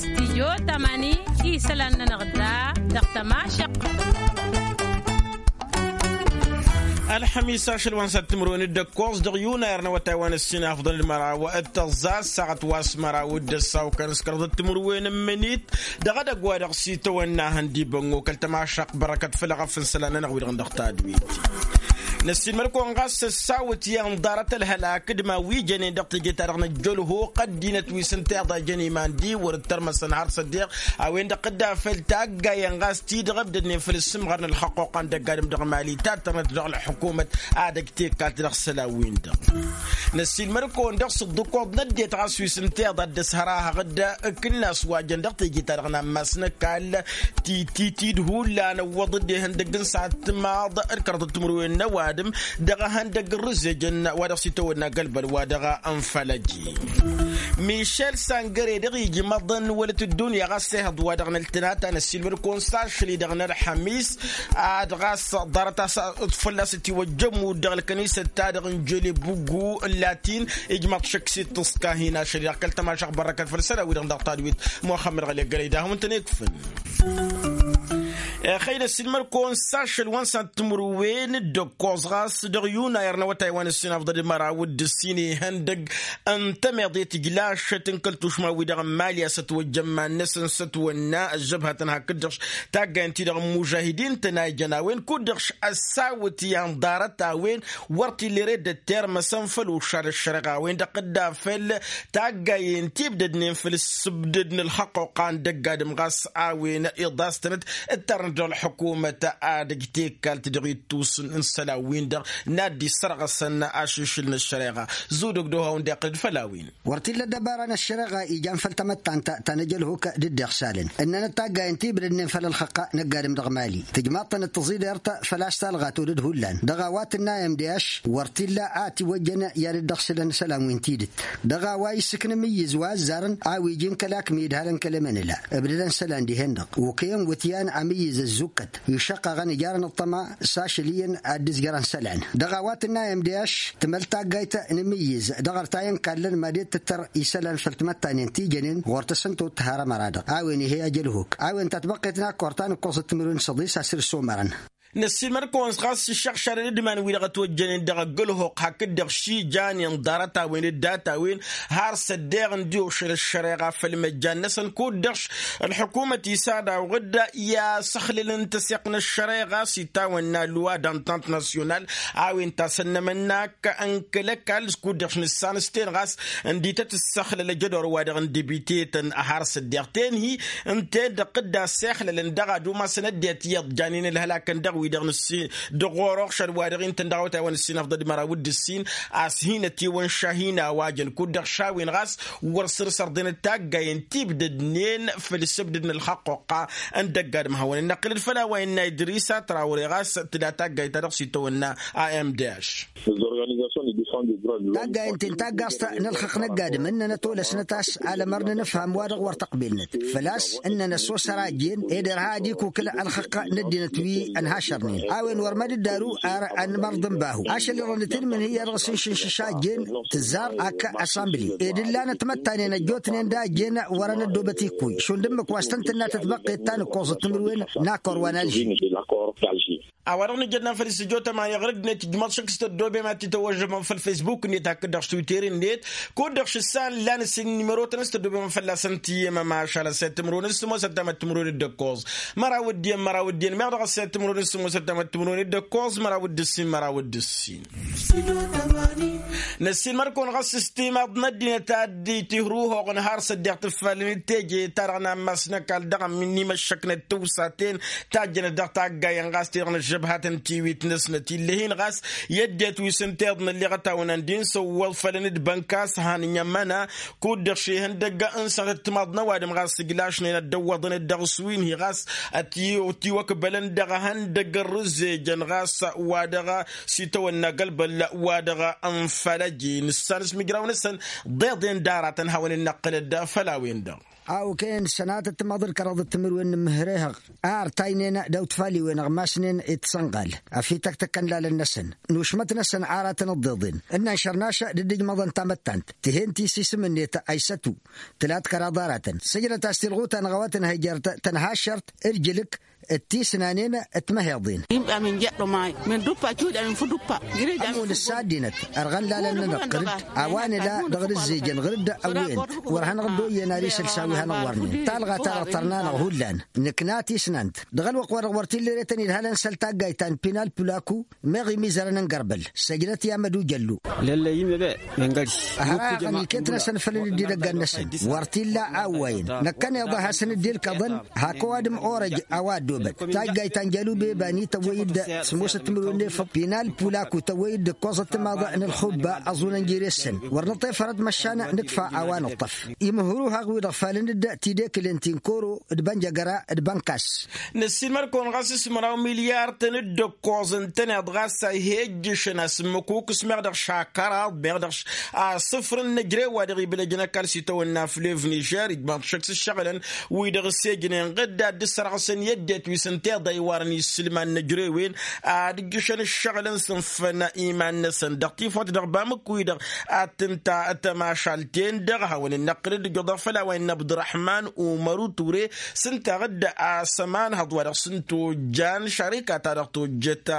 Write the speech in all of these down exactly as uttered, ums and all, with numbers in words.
Stijyo tamani isălan-nănăɣ da dăɣ-tămašăq. Ălxămis ašăl wa n-săt timǝrwen d-ăkkoẓ dăɣ-yunayăr n-awătay wa n-ǝssin afḍăn d-măraw d-tăẓẓa ăssaɣăt wa s-măraw d-ăssaw kănăskăr d-timǝrwen n-imǝnit dăɣ-edăgg wa dăɣ-s itawănna hăn d-ibăngo kăl-tămašăq bărăkăt făll-eɣăf n-isălan-nănăɣ wi-dăɣ n-dăɣ tadwit. Năssiinmăl-kăwăn ɣas ăssawăt i-ănḍarăt ălhălak d-iman wi jănen dăɣ-teje-ta-dăɣ n-ăjjălho ăddinăt wi s-ǝnta iḍa jăn iman-di wăr-ǝttărmăsăn har s-ăddeɣ a-wen-dăɣ dd-afăl taggayen ɣas ti-dăɣ ǝbdădnen făll-ǝssǝmɣăr n-ălxăqquqa n-dăgg-adǝm dăɣ-mali ta t-tărnăt dăɣ-ălḥukumăt. Ad-ăj tekkalt dăɣ-isălan wi-dăɣ. Năssiinmăl-kăwăn dăɣ-s ǝḍḍǝkoḍ n-ăddinăt ɣas wi s-ǝnta iḍa dd-ăshărahăɣ-dd ǝkǝnnas wa jăn dăɣ-teje-ta-dăɣ n-ammas n-ăkall ti ti ti-dd hullan ǝwwăḍ-dd ihăndăgg n-săhat timaḍ d-kăraḍăt timǝrwen n-ăwadǝm dăɣ-ehăndăgg n-rǝzejăn wa dăɣ-s itawănna gălbăl wa dăɣ-ănfălăj. Mišel sangăre dăɣ-ijmăḍăn wălăt ăddunya ɣas ehăḍ wa dăɣ-năltănat a năssiilmăd-kăwăn s-ašăl-i-dăɣ n-ălxămis ad-ɣas ḍarăt-as fălla-s ătiwăjjămud dăɣ-ălkănisăt-ta-dăɣ n-jelebuggu n-latin. Ijmăḍ šăkk s-ittǝṣka hin-ašăl-i-dăɣ kăl-tămašăɣ bărrăkăt făll-isălan-wi-dăɣ dăɣ-tadwit. Muxămmăd ɣăli ăggălăy d-ahum ǝntănekkǝfăn. Ixăy năssiilmăd-kăwăn s-ašăl wa n-sănat timǝrwen d-ǝkkoẓ ɣas dăɣ-yunayăr n-awătay wa n-ǝssin afḍăl d-măraw d-ǝssin ihăndăg n-temeḍe tǝjla ašăt n-kăl-tušma-wi-dăɣ n-mali a-s ătwăjjăn iman-năsăn s-ătwănna ăžžăbhătăn hakd-dăɣ taggayen-ti-dăɣ n-mužahidin-tăn a ijăn a-wen kud-dăɣ ăssawăt i-ănḍarăt a-wen wăr t-illa ere dd-ăttermăsăn făll-uššan ăššăreɣa a-wen-dăɣ dd-afăl taggayen ti ǝbdădnen făll-ǝssǝbdăd n-ălxăqquqa n-dăgg-adǝm ɣas a-wen iḍas-tănăt ǝttărnăt dăɣ-ălḥukumăt ad-ăj tekkalt dăɣ-ittus n-isălan-win-dăɣ n-ad-dd-issărɣăsăn ašišǝl n-ăššăreɣa. Zudǝg d-oha a-wen-dd-iqqǝl-dd făll-a-wen. Wăr t-illa ăddăbara n-ăššăreɣa ijan făll-tamăttant ta n-ajălhuk d-dd-iɣsalăn ǝnnănăt taggayen ti ǝbdădnen făll-ălxăqqa n-ăgg-adǝm dăɣ-mali tǝjmaḍ-tănăt tăẓidert făl-a-s talɣa todăd hullan dăɣ-a-wa tǝnnayăm d-i-ašš wăr t-illa a tiwăjjăn i-ad-dd-ăɣsǝlăn isălan wi n-tidǝt dăɣ-a-wa issǝknăm ǝyyǝz wa ăzzarăn a-wa iji n-kăl-akmi d-halăn kăl-emănăla ǝbdădăn isălan dihen-dăɣ okăyăn wǝtyan amǝyyǝz ăzzukkăt išăqqăɣăn ijarăn ăṭṭăma s-ašăl iyyăn ad-dd-ǝzjărăn isălan dăɣ-a-wa tǝnnayăm d-i-ašš tǝmăl taggayt n-amǝyyǝz dăɣ-artay n-kallăn mad-e-d tǝttăr isălan făll-timăttanen ti jănen ɣur-tăsǝntot har ămăra-dăɣ a-wen ih'-e ajălhuk a-wen tatbăqqet n-akor ta n-ǝkkoẓăt timǝrwen n-săḍis a săr-ǝssomărăn. Năssiilmăd-kăwăn ɣas išăɣšadăn d-iman-wi-dăɣ ătwăjjănen dăɣ-agǝlhuk hakd-dăɣ šijan inḍarăt-a-wen d-data-wen har s-ăddeɣ n-dd-iwšăl ăššăreɣa făll-imăjjan-năsăn kud-dăɣ š-ălḥukumăt isadaw ɣǝdda i-asăxlǝl n-tăseɣt n-ăššăreɣa s-itawănna loi d-antant nasyonal a-wen tasănnămănnak n-kăl-ăkall s-kud-dăɣ š-nǝssan s-ten ɣas ǝndităt ǝssăxlăl ăjădor-wa-dăɣ n-dibitetăn har s-ăddeɣ ten-hi ǝnta-en-dăɣ dd-assexlălăn dăɣ-ad-umasăn ăddinăt iyyăḍ janen ǝlhălakăn dăɣ-wi-dăɣ nǝssin dăɣ-ɣur-oɣšăd-wa-dăɣ intăn dăɣ-awătay wa nǝssin afḍăd măraw d-ǝssin a-s hin-ătiwănša hin-a-wa jăn kud-dăɣ šawen ɣas wăr săr-sărḍenăt taggayen tibdădnen făll-ǝssǝbdăd n-ălxăqquqqa n-dăgg-adǝm hawăn-in-năqqǝlăd făll-a-wa innă idrisa trawre ɣas tǝla taggayt ta dăɣ-s itawănna a m d h. Taggayen-ten taggaẓt n-ălxăqq n-ăgg-adǝm ǝnnănăt olăsnăt a-s alămăr n-inǝfham wa-dăɣ wăr t-ăqbelnăt făl-a-s ǝnnăn ăssosăr a ăjjeen ed irha ad-ikukǝl ălxăqq n-ăddinăt wi ănhašărnen a-wen wăr mad-dd-aru ar ănmărḍ n-bahu ašăl-i-dăɣ nǝtǝlmǝn hi-i-ad-dăɣ s-inšǝnšǝš a ăjjeen tǝzzar ak ăsambli ed ǝllanăt măttanen ăjjootnen d-a ăjjeen wărăn ăddoobăt ikkuy šund ǝmmǝk wa s-tăn-tǝnna tătbăqqet ta n-ǝkkoẓăt timǝrwen n-akor wa n-alži. A-wa-dăɣ nǝjjădnan făll-s ǝjot ămani ɣăr-dd-net ijmăḍ šăkk s-tăddoobem ad-t-tăwăžžămăm făll-fesbuk-net hakd-dăɣ s-twitter-net kud-dăɣ šǝssan ǝllan ǝssin n-imărotăn s-tăddoobem fălla-săn tǝyyem ămašal ăssayăt timǝrwen s-sǝmmosăt tamăttimǝrwen d-ǝkkoẓ măraw d-iyyăn măraw d-iyyăn meɣ dăɣ-ăssayăt timǝrwen s-sǝmmosăt tamăttimǝrwen d-ǝkkoẓ măraw d-ǝssin măraw d-ǝssin. Năssiilmăd-kăwăn ɣas s-timaḍ n-ăddinăt ad-dd-itihruhoɣăn har s-ăddiɣ tǝffalăn d-teje-ta-dăɣ n-ammas n-ăkall dăɣ-ămmin n-imăššăknăt tiwsaten tajjănăt dăɣ-taggayen ɣas ti-dăɣ n-ăžžăbhatăn tiwit-năsnăt ill'-e-hin ɣas i-ăddinăt wi s-ǝnta iḍnălleɣăt a-wen ăndin s-ăwwăḍfălăn d-bănkas han n-iyyăn măna kud-dăɣ šihăndăgg n-sănatăt timaḍ n-ăwadǝm ɣas ǝjlašnen ad-dd-ăwwăḍăn-dd dăɣ-s wi n-hi ɣas ătiwăkbălăn dăɣ-ehăndăgg ărrǝzzejăn ɣas wa dăɣ-s itawănna gălbăl wa dăɣ-ănfălăj-in ǝssan s-imǝjraw-năsăn ḍeḍen d-aratăn hawăn-in-năqqǝlăd făll-a-wen-dăɣ. A okăyăn sănatăt timaḍ d-kăraḍăt timǝrwen n-imǝhrehăɣ, ar taynen d-awtfaliwen ăɣmasnen i-tăsănɣal, ăfităktăkăn lalăn-năsăn, n-ušmăt-năsăn aratăn ǝḍḍeḍen ǝnnăn šărnaša d-dd-ijmăḍăn tamăttant tihen tisisǝm-net a isătu. Tǝlat kăraḍ aratăn săjdăt a-s tilɣuta n-ɣawăt n-hejărt tănhašărt d-jǝlǝk d-tisnanen d-timăheḍen. Ămmun ǝssa ăddinăt ărɣăn lalăn-nănăɣ ɣǝr-dd a-wa nǝla dăɣ-inǝzzejăn ɣǝr-dd ăwweyăn wăr hanăɣ-dd-oyyăn ar isǝlsa wi hanăɣ-wărnen talɣa-ta-dăɣ tărna-năɣ hullan. Nǝkna tisnant dăɣ-ălwăqq-wa-dăɣ wăr t-illa ere-tăn-idhalăn isăl taggayt ta n-pinal pulaku. Meɣ imizărăn n-gărbăl săjdăt i-amăd ujăllu. Lăllăy imăbăy mengări. Hărăɣăn iket-năsăn făll-inǝddi idăggan-năsăn wăr t-illa a ǝwwayăn. Năkkăneḍ a hasăn-dd-ilkăḍăn hak ăwadǝm orăj a-wa ăddoobăt taggayt ta n-jelube bani tăwwăy-dd s-ămoosăt timǝrwen n-efăḍ pinal pulaku tăwwăy-dd ǝkkoẓăt timaḍ n-ălxubba ăẓunăn jire-săn. Wăr nǝṭṭef hărăt măšan nǝkfa a-wa nǝṭṭăf imǝhruhaɣ-wi-dăɣ falăn-dd tidekǝlen ti n-koro d-bănjăgăra d-bănkas. Năssiilmăd-kăwăn ɣas s-măraw milyar-tăn dd-ǝkkoẓ ǝntăneḍ ɣas a ih'-ejjǝšăn asǝmmǝkukǝs meɣ dăɣ-š hakăraḍ meɣ dăɣ-š asǝfrǝn n-ejrew wa dăɣ-iblăjăn ăkall s-itawănna fleuv nižer ijmaḍ-t šăkk s-ǝššăɣǝlăn wi-dăɣ s-ejnen ɣǝdda dd-ǝssărɣăsăn i-ăddinăt wi s-ǝnta iḍa iwarăn isǝlman n-ejrewen ad-ǝjjǝšăn ǝššăɣǝlăn s-ǝnfăn iman-năsăn dăɣ-tifawt dăɣ-bamǝk-wi-dăɣ ad-tǝnta tămašalt-en-dăɣ a hawăn-dd-năqqǝl d-ǝjjuḍăɣ făll-a-wa innă abdărăhman umăru ture s-ǝnta ɣǝdda a-s ămanhăḍ wa dăɣ-s n-tojjan šarika-ta-dăɣ tojjăt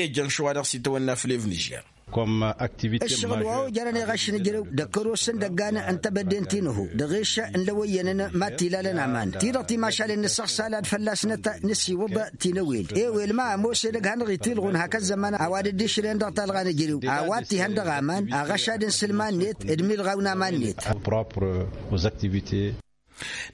ejăn šwa dăɣ-s itawănna fleuv nižer. Ǝššăɣǝl wa ojărăn iɣăš n-ejrew d-ăkkăros n-idăggan n-tebădde n-tinăhu dăɣ-eššă n-lăwăyyăn n-mad-t ilalăn aman-ti-dăɣ timašalen nǝssăɣsal ad-fălla-s năt-nǝsiwǝḍ tinăwel ewel ma ămoos edăgg hanăɣ-itilɣun hak ăzzăman a-wa dd-išrăyăn dăɣ-talɣa n-ejrew a-wa t-ihăn dăɣ-aman aɣăšad n-isǝlman-net d-milɣaw n-aman-net.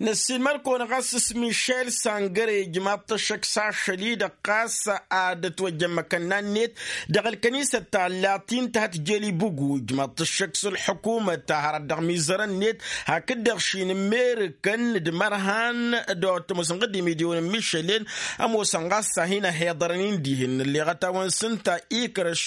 Năssiilmăd-kăwăn ɣas s-mišel sangăre ijmaḍ-t ăššăk s-ašăl-i-dăɣ ɣas ad-ătwăjjăn imăkănna-net dăɣ-ălkănisăt ta n-latin ta hătjel ibugu ijmaḍ-t ăššăk s-ǝlḥǝkumăt ta hărăt dăɣ-imizărăn-net hakd-dăɣ šinǝmmerǝkăn d-imărhan d-otămosăn ɣǝddim idewăn n-mišălen. Ămoosăn ɣas a hin-ăhiḍărăn-in dihen ǝlleɣăt-awăn s-ǝnta ikrăš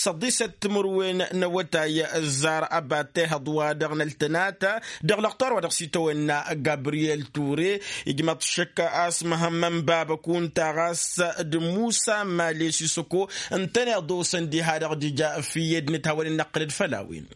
s-ăḍisăt timǝrwen n-awătay ăzzar ăbatehăḍ wa dăɣ-năltănata dăɣ-lăqtor wa dăɣ-s itawănna gabriyel ture. Ijmăḍ šăkk a-s măhămmăn babăkunta ɣas d-musa male sisăko ǝntăneḍ osăn diha-dăɣ dija fiyed-net hawăn-in-năqqǝlăd făll-a-wen.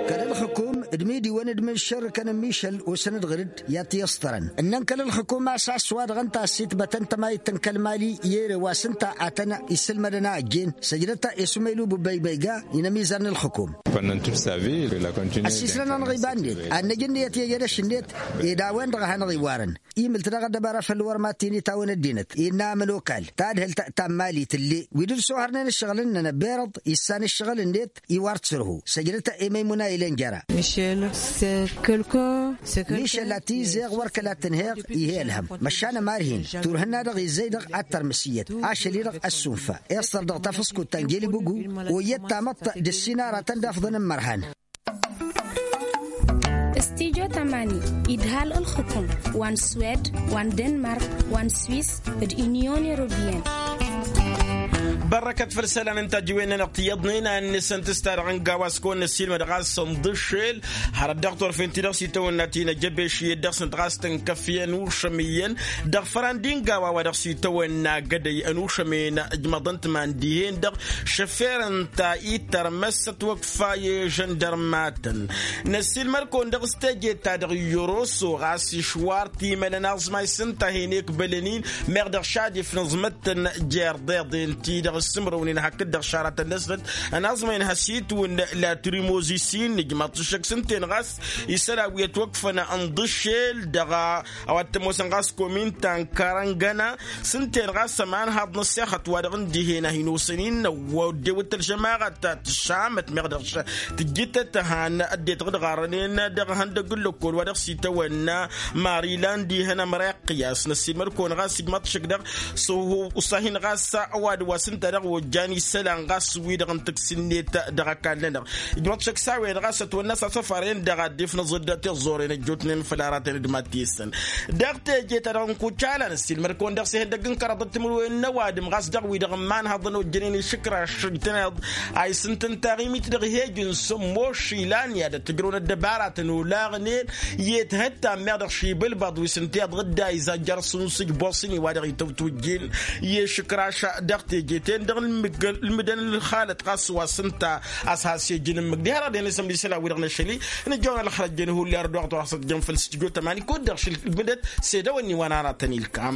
Kăl-ălxǝkum d-imidiwăn d-imǝnšărrǝkăn n-mišăl osăn-dd ɣǝr-dd i-ad-t-iẓtărăn ǝnnăn kăl-ălxǝkum a-s a-s wa dăɣ-ǝnta a-s itbătăn tămayǝt n-kăl-mali i-ere wa s-ǝnta a tăn-isǝlmădăn a ăjjeen săjdăt. Isumăylu bǝbbăy ma iga inămizăr n-ǝlxǝkum. Ăssiisnăn-anăɣ iba-net ad-năj ǝnniyăt i-ejădăš-net ed a-wen-dăɣ a hanăɣ-iwarăn. Imǝlt daɣ ăddăbara făll-wăr mad-t-init a-wen ăddinăt innă amănokal tadhǝlt ta n-mali tǝlle wi dd-sohărnen ǝššăɣǝl-nănăɣ berăḍ issan ǝššăɣǝl-net. Iwar t-sărho săjdăt i-măymuna ilen jăra. Mišel ad-t-izeɣ wăr kăla t-ǝnheɣ. Ih' i-ălhăm măšan ămarhin turhǝnna-dăɣ izzăy-dăɣ ad-tărmǝs iyyăt ašăl-i-dăɣ ăssunfa iṣăr dăɣ-tafǝskut ta n-jel ibugu. Oyyăt tamăḍt d-ǝssin aratăn d-afḍăn n-imărhan. Studyo tamani idhal ǝlxǝkum wa n-swed wa n-denmark wa n-swis d-inyon europiyăn. Bărrăkăt făll-isălan n-tajǝwen-nănăɣ ti iyyăḍnen a ǝnnǝsăn tǝsta-dăɣ ǝnga wa s-kăwăn-năssiilmăd ɣas ǝnḍǝššel. Hărăt dăɣ-turfen-ti-dăɣ s-itawănna ti n-ajăbeš iyyăt dăɣ-săn dăɣ-a-s tǝnkăfyăn uršăm iyyăn dăɣ-făran d-ingawa wa dăɣ-s itawănna gădăy ănušămen ǝjmăḍăn-t iman dihen-dăɣ šăffer ǝnta itărmăs ătwăkfa i-žăndărmatăn. Năssiilmăd-kăwăn dăɣ-s teje-ta-dăɣ yoroso ɣas išwar timălăn aẓmay s-ǝnta a hin-ekbălăn-in meɣ dăɣ-šadif n-aẓmăttăn jer-iḍeḍen-ti-dăɣ ǝssǝmrăwnen hakd-dăɣ šaratăn-năsnăt ănaẓmăyăn has-itwǝn la trimozisin ijmaḍ-t ǝššăk s-ǝnta-en ɣas isălan wi ătwăkfăn ǝnḍǝššel dăɣ-a-wa t-ămoosăn ɣas komin ta n-karăngăna. S-ǝnta-en ɣas ămanhaḍ n-ăssexăt wa dăɣ-n dihen a hin-osăn-in ăwwăddew d-tălžămaɣăt ta tǝšamăt meɣ dăɣ-š tǝjjǝt ăthan ăddinăt ɣǝd-ɣarrănen dăɣ-ihăndăgg n-lăkkol wa dăɣ-s itawănna mariland ihăn ămreqq i-a-s năssiilmăd-kăwăn ɣas ijmaḍ-t šăkk dăɣ-s usahin ɣas ăwadǝm wa s-ǝnta. dăɣ-ojjan isălan ɣas wi-dăɣ n-tǝksinnet dăɣ-ăkall-nănăɣ. Ijmăḍ šăkk s-a-wen ɣas ătwănna s-asăfaren dăɣ-ad-dd-ifnăẓ dd-tiẓẓoren ăjjootnen făll-aratăn d-mad-t-iyyăsăn dăɣ-teje-ta-dăɣ n-kucalan ăssiilmăd-kăwăn dăɣ-s ihăndăgg n-kăraḍăt timǝrwen n-ăwadǝm ɣas dăɣ-wi-dăɣ n-imanhăḍăn ojjănen išǝkraš ǝjtăneḍ a isǝntǝnta ɣimit dăɣ-hi-ăj n-sǝmmo šilan i-ad-ăttǝjrăwăn ăddăbaratăn olaɣnen i-ithǝhǝt tammeɣ dăɣ-šibǝlbaḍ wi s-ǝnta iḍăɣ dd-a izajjăr s-unsǝj bosni wa dăɣ-ităwt ujjin i-išǝkraš dăɣ-teje-ten-dăɣ ǝlmǝdăn ǝlxalăt ɣas wa s-ǝnta a-s has-ejǝn ǝmmǝk diha dăɣ-dehăn isămli isălan-wi-dăɣ n-ašăl-i. Nǝjjăwăn ălxărăt jăn hulli ar dd-oɣăt wa s-ăjjăn făll-s tijot ămani kud-dăɣ šil ǝlmǝdăt s-edăwănni wa n-aratăn ilkam.